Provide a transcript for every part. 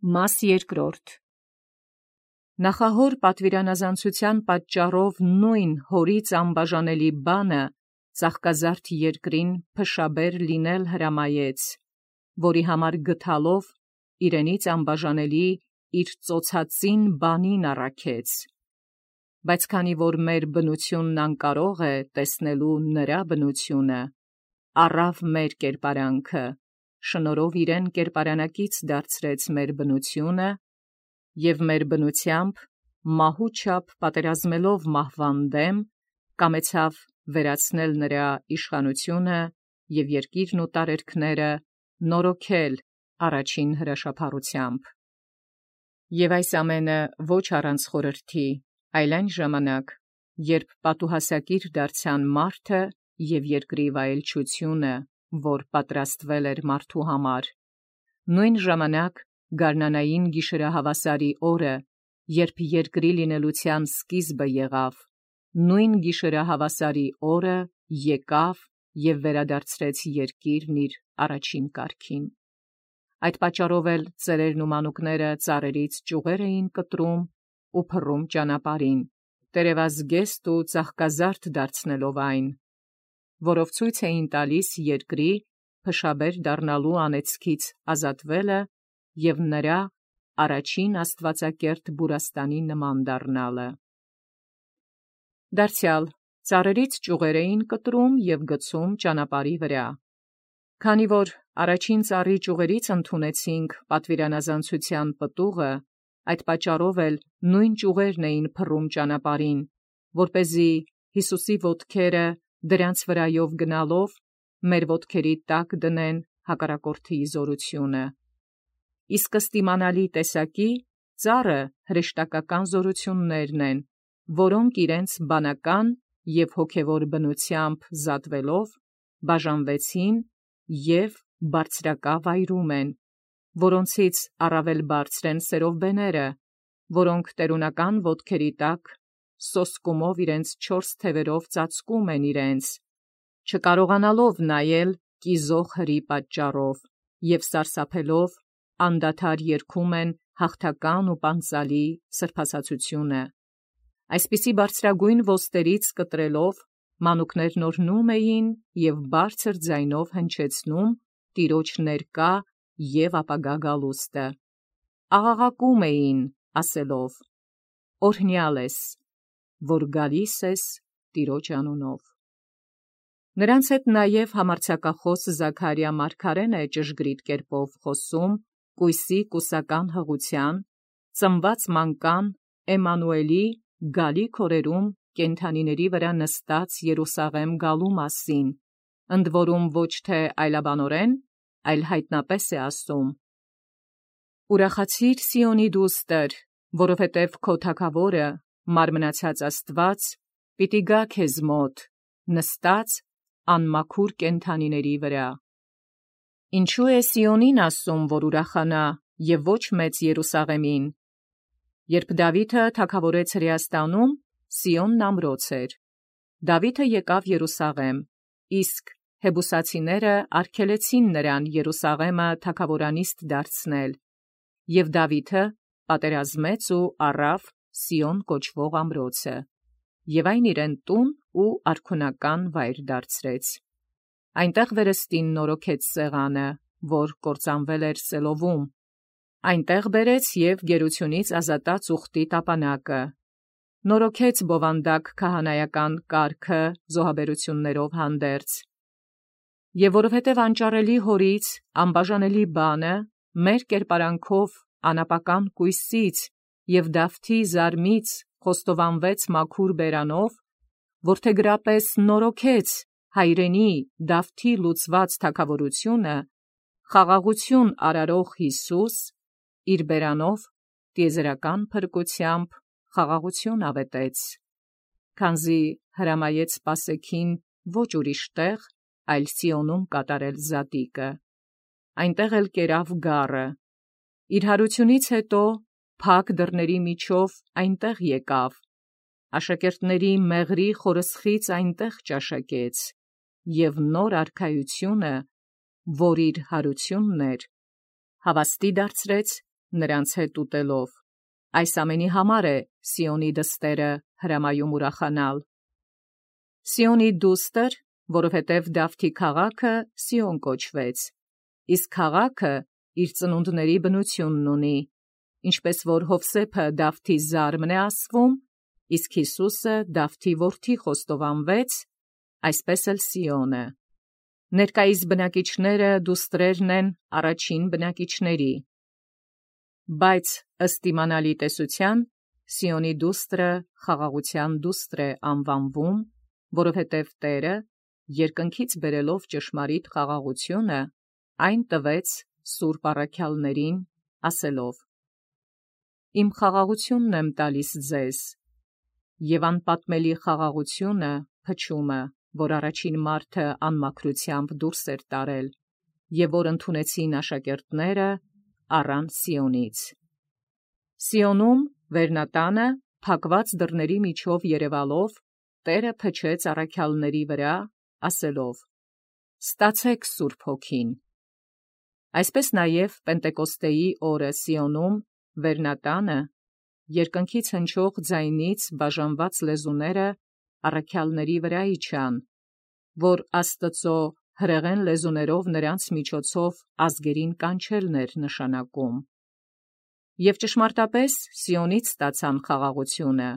Մաս երկրորդ. Նախահոր պատվիրանազանցութեան պատճառով նոյն հորից անբաժանելի բանը ծաղկազարդ երկրին փշաբեր լինել հրամայեց, որի համար գթալով իրենից անբաժանելի իր ծոցածին բանին առաքեց. բայց քանի որ մեր բնութիւնն անկարող է տեսնելու նրա բնութիւնը, առավ մեր կերպարանքը, շնորհով իրեն կերպարանակից դարձրեց մեր բնութիւնը, և մեր բնութեամբ մահու չափ պատերազմելով մահվան դեմ, կամեցավ վերացնել նրա իշխանութիւնը և երկիրն ու տարերքները նորոգել առաջին հրաշափառութեամբ։ Եւ այս ամենը ոչ առանց խորհրդի, այլ այն ժամանակ, երբ պատուհասակիր դարձան մարդը և երկրի վայելչութիւնը, որ պատրաստվել էր մարդու համար, նոյն ժամանակ գարնանային գիշերահավասարի օրը, երբ երկրի լինելութեան սկիզբը եղավ, նոյն գիշերահավասարի օրը եկավ և վերադարձրեց երկիրն իր առաջին կարգին։ Այդ պատճառով էլ ծերերն ու մանուկները ծառերից ճյուղեր էին կտրում ու փռում ճանապարհին, տերևազգեստ ու ծաղկազարդ դարձնելով այն, որով ցույց էին տալիս երկրի փշաբեր դառնալու անեծքից ազատվելը և նրա առաջին աստուածակերտ Բուրաստանի նման դառնալը։ Դարձեալ ծառերից ճյուղեր էին կտրում և գցում ճանապարհի վրա։ Քանի որ առաջին ծառի ճյուղերից ընդունեցինք պատվիրանազանցութեան պտուղը, այդ պատճառով էլ նոյն ճյուղերն էին փռում ճանապարհին, որպեսզի Յիսուսի ոտքերը դրանց վրայով գնալով մեր ոտքերի տակ դնեն հակառակորդի զորութիւնը։ Իսկ ըստ իմանալի տեսակի ծառը հրեշտակական զորութիւններն են, որոնք իրենց բանական և հոգևոր բնութեամբ զատվելով բաժանվեցին և բարձրակա վայրում են, որոնցից առավել բարձր են սերովբեները, որոնք տերունական ոտքերի տակ սոսկումով իրենց 4 թևերով ծածկում են իրենց, չկարողանալով նայել կիզող հրի պատճառով և սարսափելով անդադար երգում են հաղթական ու պանծալի սրբասացությունը։ Այսպիսի բարձրագոյն ոստերից կտրելով մանուկներն օրհնում էին և բարձր ձայնով հնչեցնում Տիրոջ ներկա և ապագա գալուստը, աղաղակում էին ասելով. «Օրհնյալ ես, որ գալիս ես Տիրոջ անունով»։ Նրանց հետ նաև համարձակախոս Զաքարիա մարգարեն է ճշգրիտ կերպով խոսում կույսի կուսական հղութեան, ծնված մանկան Էմմանուէլի գալիք օրերում կենդանիների վրա նստած Երուսաղեմ գալու մասին, ընդ որում ոչ թե այլաբանորեն, այլ հայտնապես է ասում. «Ուրախացի՛ր Սիոնի դուստր, որովհետև քո թագաւորը, մարմնացած Աստուած, պիտի գա քեզ մոտ, նստած անմաքուր կենդանիների վրա»։ Ինչու է Սիոնին ասում, որ ուրախանա, և ոչ մեծ Երուսաղեմին։ Երբ Դաւիթը թագաւորեց Հրեաստանում, Սիոնն ամրոց էր։ Դաւիթը եկավ Երուսաղեմ, իսկ հեբուսացիները արգելեցին նրան Երուսաղեմը թագաւորանիստ դարձնել, և Դաւիթը պատերազմեց ու առավ Սիոն կոչվող ամրոցը, և այն իրեն տուն ու արքունական վայր դարձրեց։ Այնտեղ վերստին նորոգեց սեղանը, որ կործանվել էր Սելովում, այնտեղ բերեց և գերությունից ազատած ուխտի տապանակը, նորոգեց բովանդակ քահանայական կարգը զոհաբերութիւններով հանդերձ։ Եւ որովհետև անճարելի հորից անբաժանելի բանը մեր կերպարանքով անապական կույսից և Դավթի զարմից խոստովանվեց մաքուր բերանով, որդեգրապես նորոգեց հայրենի Դավթի լուծված թագաւորութիւնը, խաղաղութիւն արարող Յիսուս իր բերանով տիեզերական փրկութեամբ խաղաղութիւն աւետեց, քանզի հրամայեց սպասեքին ոչ ուրիշ տեղ, այլ Սիոնում կատարել զատիկը։ Այնտեղ էլ կերավ գառը։ Իր հարությունից հետո փակ դռների միջով այնտեղ եկավ, աշակերտների մեղրի խորսխից այնտեղ ճաշակեց, և նոր արքայությունը, որ իր հարությունն էր, հավաստի դարձրեց նրանց հետ ուտելով։ Այս ամենի համար է Սիոնի դստերը հրամայում ուրախանալ։ Սիոնի դուստր, որովհետև Դավթի քաղաքը Սիոն կոչվեց, իսկ քաղաքը իր ծնունդների բնությունն ունի, ինչպես որ Հովսեփը Դավթի զարմն է ասվում, իսկ Հիսուսը Դավթի որդի խոստովանվեց, այսպես էլ Սիոնը։ Ներկայիս բնակիչները դուստրերն են առաջին բնակիչների։ Բայց ըստ իմանալի տեսության Սիոնի դուստրը խաղաղության դուստր է անվանվում, որովհետև Տերը, երկնքից բերելով ճշմարիտ խաղաղությունը, այն տվեց սուրբ առաքյալներին, ասելով. «Իմ խաղաղությունն եմ տալիս ձեզ», և անպատմելի խաղաղությունը, փչումը, որ առաջին մարդը անմաքրությամբ դուրս էր տարել, և որ ընդունեցին աշակերտները, առան Սիոնից։ Սիոնում վերնատանը փակված դռների միջով երևալով, Տերը փչեց առաքյալների վրա, ասելով. «Ստացեք Սուրբ Հոգին»։ Այսպես նաև Պենտեկոստեի օրը Սիոնում վերնատանը երկնքից հնչող ձայնից բաժանված լեզուները առաքյալների վրա իջան, որ Աստծո հրեղեն լեզուներով նրանց միջոցով ազգերին կանչելն էր նշանակում։ Եվ ճշմարտապես Սիոնից ստացան խաղաղությունը։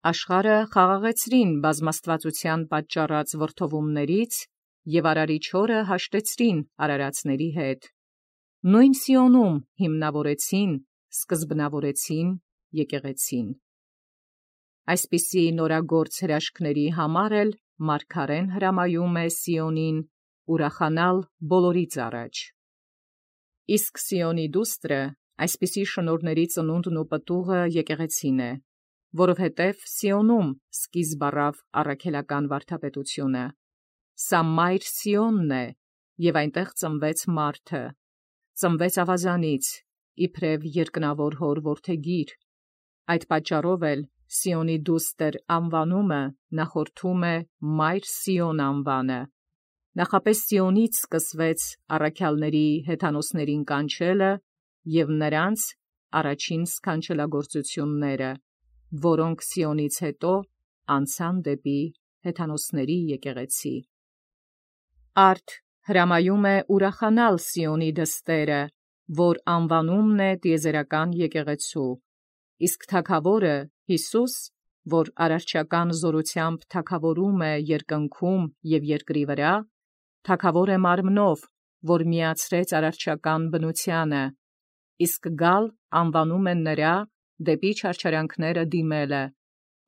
Աշխարհը խաղաղեցրին բազմաստվածության պատճառած վրդովումներից և Արարիչ օրը հաշտեցրին արարածների հետ։ Նույն Սիոնում հիմնավորեցին, սկզբնավորեցին եկեղեցին։ Այսպիսի նորագործ հրաշքների համար էլ մարգարեն հրամայում է Սիոնին ուրախանալ բոլորից առաջ։ Իսկ Սիոնի դուստրը այսպիսի շնորհների ծնունդն ու պտուղը եկեղեցին է, որովհետև Սիոնում սկիզբ առավ առաքելական վարդապետությունը։ Սա մայր Սիոնն է, և այնտեղ ծնվեց մարդը, ծնվեց ավազանից, իբրև երկնավոր հոր որդեգիր։ Այդ պատճառով էլ Սիոնի դուստր անվանումը նախորդում է մայր Սիոն անվանը։ Նախապես Սիոնից սկսվեց առաքյալների հեթանոսներին կանչելը և նրանց առաջին սքանչելագործությունները, որոնք Սիոնից հետո անցան դեպի հեթանոսների եկեղեցի։ Արդ հրամայում է ուրախանալ Սիոնի դստերը, որ անվանումն է տիեզերական եկեղեցու, իսկ թագավորը Հիսուս, որ արարչական զորությամբ թագավորում է երկնքում և երկրի վրա, թագավոր է մարմնով, որ միացրեց արարչական բնությանը, իսկ գալ անվանում են նրա դեպի չարչարանքները դիմելը,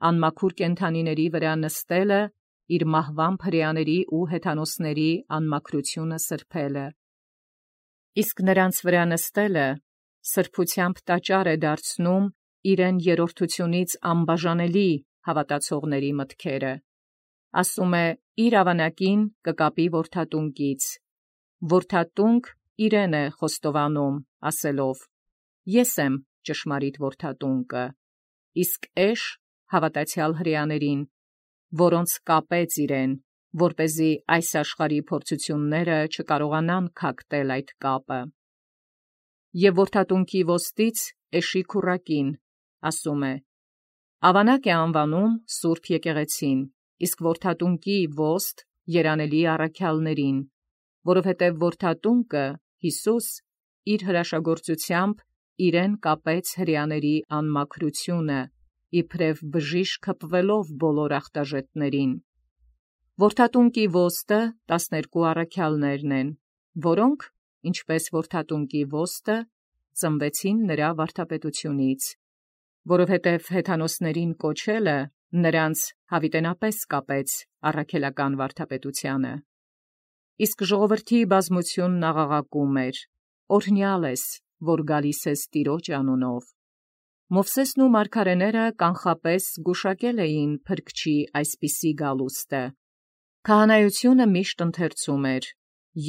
անմաքուր կենդանիների վրա նստելը, իր մահվան հրեաների ու հեթանոսների անմաքրությունը սրբելը։ Իսկ նրանց վրա նստելը սրբությամբ տաճար է դարձնում իրեն երրորդությունից անբաժանելի հավատացողների մտքերը։ Ասում է իր ավանակին կկապի որդատունկից, որդատունկ իրեն է խոստովանում, ասելով. «Ես եմ ճշմարիտ որդատունկը», իսկ էշ հավատացյալ հրեաներին, որոնց կապեց իրեն, որպեսզի այս աշխարհի փորձությունները չկարողանան քակտել այդ կապը։ Եվ որդատունկի ոստնից էշի քուռակին, ասում է. «Ավանակ է անվանում Սուրբ Եկեղեցին, իսկ որդատունկի ոստ երանելի առաքյալներին, որովհետև որդատունկը Հիսուս իր հրաշագործությամբ իրեն կապեց հրեաների անմաքրությունը, իբրև բժիշկ հպվելով բոլոր ախտաժետներին։ Որդատունկի ոստը 12 առաքյալներն են, որոնք, ինչպես որդատունկի ոստը, ծնվեցին նրա վարդապետությունից, որովհետև հեթանոսներին կոչելը նրանց հավիտենապես կապեց առաքելական վարդապետությանը։ Իսկ ժողովրդի բազմությունն աղաղակում էր. «Օրհնյալ ես, որ գալիս ես Տիրոջ անունով»։ Մովսեսն ու մարգարեները կանխապես գուշակել էին Փրկչի այսպիսի գալուստը։ Քահանայությունը միշտ ընթերցում էր,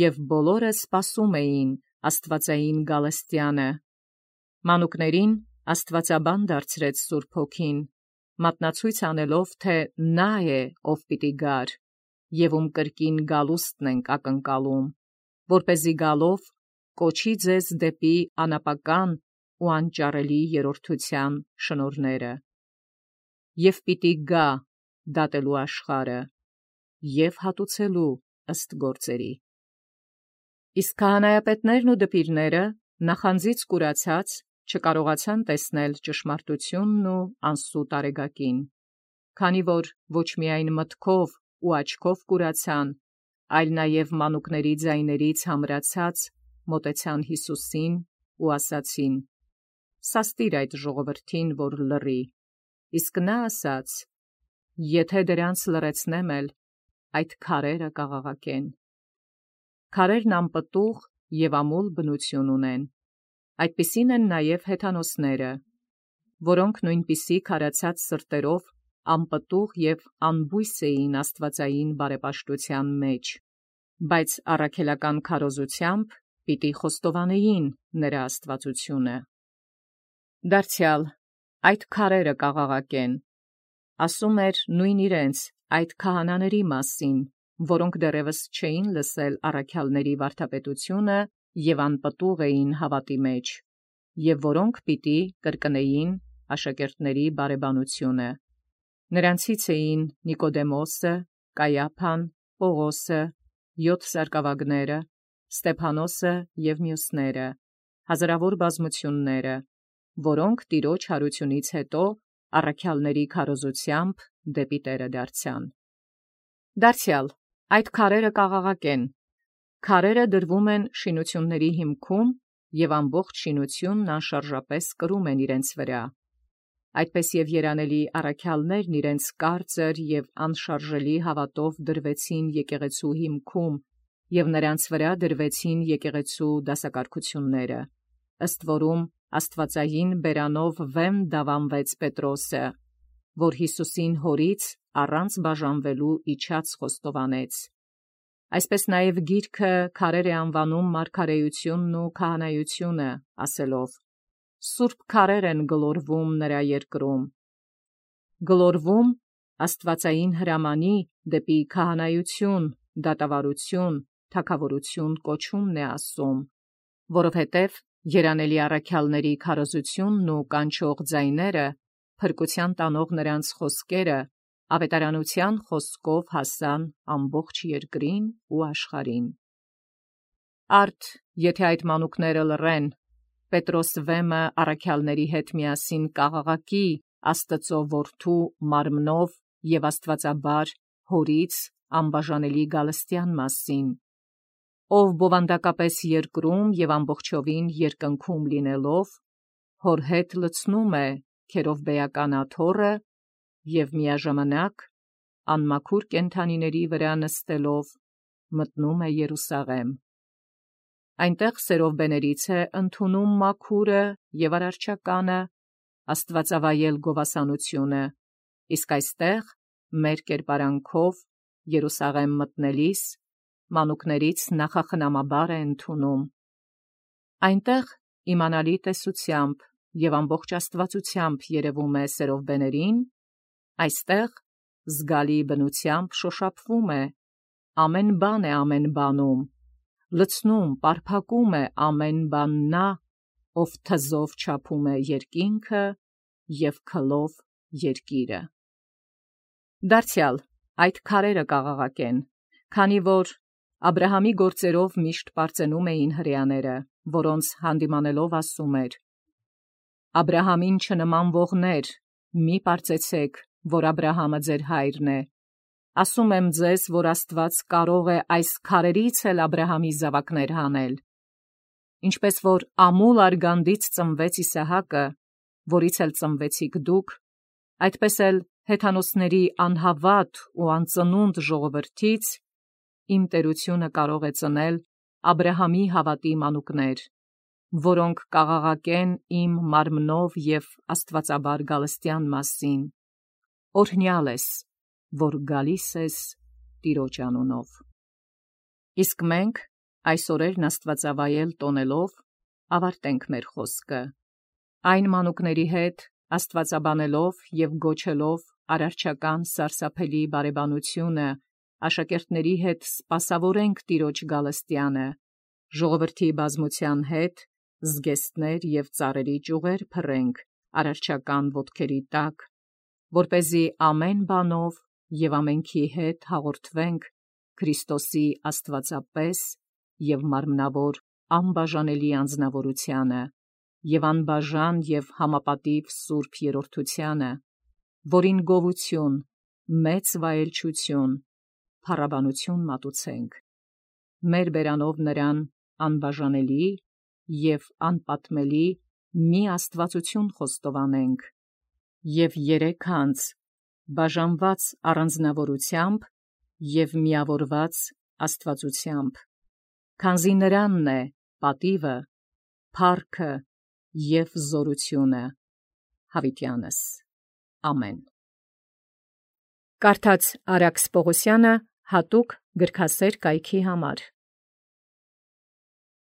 և բոլորը սպասում էին աստվածային գալստյանը։ Մանուկներին աստվածաբան դարձրեց Սուրբ Հոգին, մատնացույց անելով, թե նա է, ով պիտի գար, և ում կրկին գալուստն ենք ակնկալում, որպեսզի գալով կոչի ձեզ դեպի անապական ու անճարելի երրորդության շնորհները։ Եվ պիտի գա դատելու աշխարհը և հատուցելու ըստ գործերի։ Իսկ քահանայապետներն ու դպիրները նախանձից կուրացած չկարողացան տեսնել ճշմարտությունն ու անսուտ արեգակին, քանի որ ոչ միայն մտքով ու աչքով կուրացան, այլ նաև մանուկների ձայներից համրացած մոտեցան Յիսուսին ու ասացին. «Սաստիր այդ ժողովրդին, որ լռի»։ Իսկ նա ասաց. «Եթե դրանց լռեցնեմ էլ, այդ քարերը կաղաղակեն»։ Քարերն անպտուղ և ամուլ բնություն ունեն։ Այդպիսին են նաև հեթանոսները, որոնք նույնպիսի քարացած սրտերով անպտուղ և անբույս էին աստվածային բարեպաշտության մեջ, բայց առաքելական քարոզությամբ պիտի խոստովանեին նրա աստվածությունը։ Դարձյալ այդ քարերը կաղաղակեն, ասում էր նույն իրենց այդ քահանաների մասին, որոնք դեռևս չէին լսել առաքյալների վարդապետությունը և անպտուղ էին հավատի մեջ, և որոնք պիտի կրկնեին աշակերտների բարեբանությունը։ Նրանցից էին Նիկոդեմոսը, Կայափան, Պողոսը, 7 սարկավագները, Ստեփանոսը և մյուսները, հազարավոր բազմությունները, որոնք տիրոջ հարությունից հետո առաքյալների քարոզությամբ դեպի Տերը դարձան։ Դարձյալ այդ քարերը կաղաղակեն։ Քարերը դրվում են շինությունների հիմքում, և ամբողջ շինությունն անշարժապես կրում են իրենց վրա։ Այդպես և երանելի առաքյալներն իրենց կարծր և անշարժելի հավատով դրվեցին եկեղեցու հիմքում, և նրանց վրա դրվեցին եկեղեցու դասակարգությունները, ըստ որում աստվածային բերանով վեմ դավանվեց Պետրոսը, որ Յիսուսին հորից առանց բաժանվելու իջած խոստովանեց։ Այսպես նաև գիրքը քարեր է անվանում մարգարեությունն ու քահանայությունը, ասելով. «Սուրբ քարեր են գլորվում նրա երկրում»։ Գլորվում աստվածային հրամանի դեպի քահանայություն, դատավարություն, թագավորություն կոչումն է ասում, որովհետև երանելի առաքյալների քարոզությունն ու կանչող ձայները, փրկության տանող նրանց խոսքերը, ավետարանության խոսքով հասան ամբողջ երկրին ու աշխարհին։ Արդ եթե այդ մանուկները լռեն, Պետրոս վեմը առաքյալների հետ միասին կաղաղակի Աստծու որդու մարմնով և աստվածաբար հորից անբաժանելի գալստյան մասին, ով բովանդակապես երկրում և ամբողջովին երկնքում լինելով, հոր հետ լցնում է քերովբեական աթոռը և միաժամանակ անմաքուր կենդանիների վրա նստելով մտնում է Երուսաղեմ։ Այնտեղ սերովբեներից է ընդունում մաքուրը և արարչականը, աստվածավայել գովասանությունը, իսկ այստեղ մեր կերպարանքով Երուսաղեմ մտնելիս մանուկներից նախախնամաբար է ընդունում։ Այնտեղ իմանալի տեսությամբ և ամբողջ աստվածությամբ երևում է սերովբեներին, այստեղ զգալի բնությամբ շոշափվում է, ամեն բան է ամեն բանում, լցնում, պարփակում է ամեն բան նա, ով թզով չափում է երկինքը և քլով երկիրը։ Դարձյալ այդ քարերը կաղաղակեն, քանի որ Աբրահամի գործերով միշտ պարծենում էին հրեաները, որոնց հանդիմանելով ասում էր. «Աբրահամին չնմանվողներ, մի պարծեցեք, որ Աբրահամը ձեր հայրն է։ Ասում եմ ձեզ, որ Աստված կարող է այս քարերից էլ Աբրահամի զավակներ հանել։ Ինչպես որ ամուլ արգանդից ծնվեց Իսահակը, որից էլ ծնվեցիք դուք, այդպես էլ հեթանոսների անհավատ ու անծնունդ ժողովրդից իմ տերությունը կարող է ծնել Աբրահամի հավատի մանուկներ, որոնք կաղաղակեն իմ մարմնով և աստվածաբար գալստյան մասին։ Օրհնյալ ես, որ գալիս ես Տիրոջ անունով»։ Իսկ մենք այս օրերն աստվածավայել տոնելով ավարտենք մեր խոսքը, այն մանուկների հետ աստվածաբանելով և գոչելով արարչական սարսափելի բարեբանությունը, աշակերտների հետ սպասավորենք Տիրոջ գալստյանը, ժողովրդի բազմության հետ զգեստներ և ծառերի ճյուղեր փռենք արարչական ոտքերի տակ, որպեսզի ամեն բանով և ամենքի հետ հաղորդվենք Քրիստոսի աստվածապես և մարմնավոր անբաժանելի անձնավորությանը և անբաժան և համապատիվ սուրբ երրորդությանը, որին գովություն, մեծ վայելչություն, փառաբանություն մատուցենք, մեր բերանով նրան անբաժանելի և անպատմելի մի աստվածություն խոստովանենք և երեքանց բաժանված առանձնավորությամբ և միավորված աստվածությամբ, քանզի նրանն է պատիվը, փառքը և զորությունը յաւիտյանս. ամեն։ Կարդաց Արաքս Պողոսյանը հատուկ գրքասեր կայքի համար։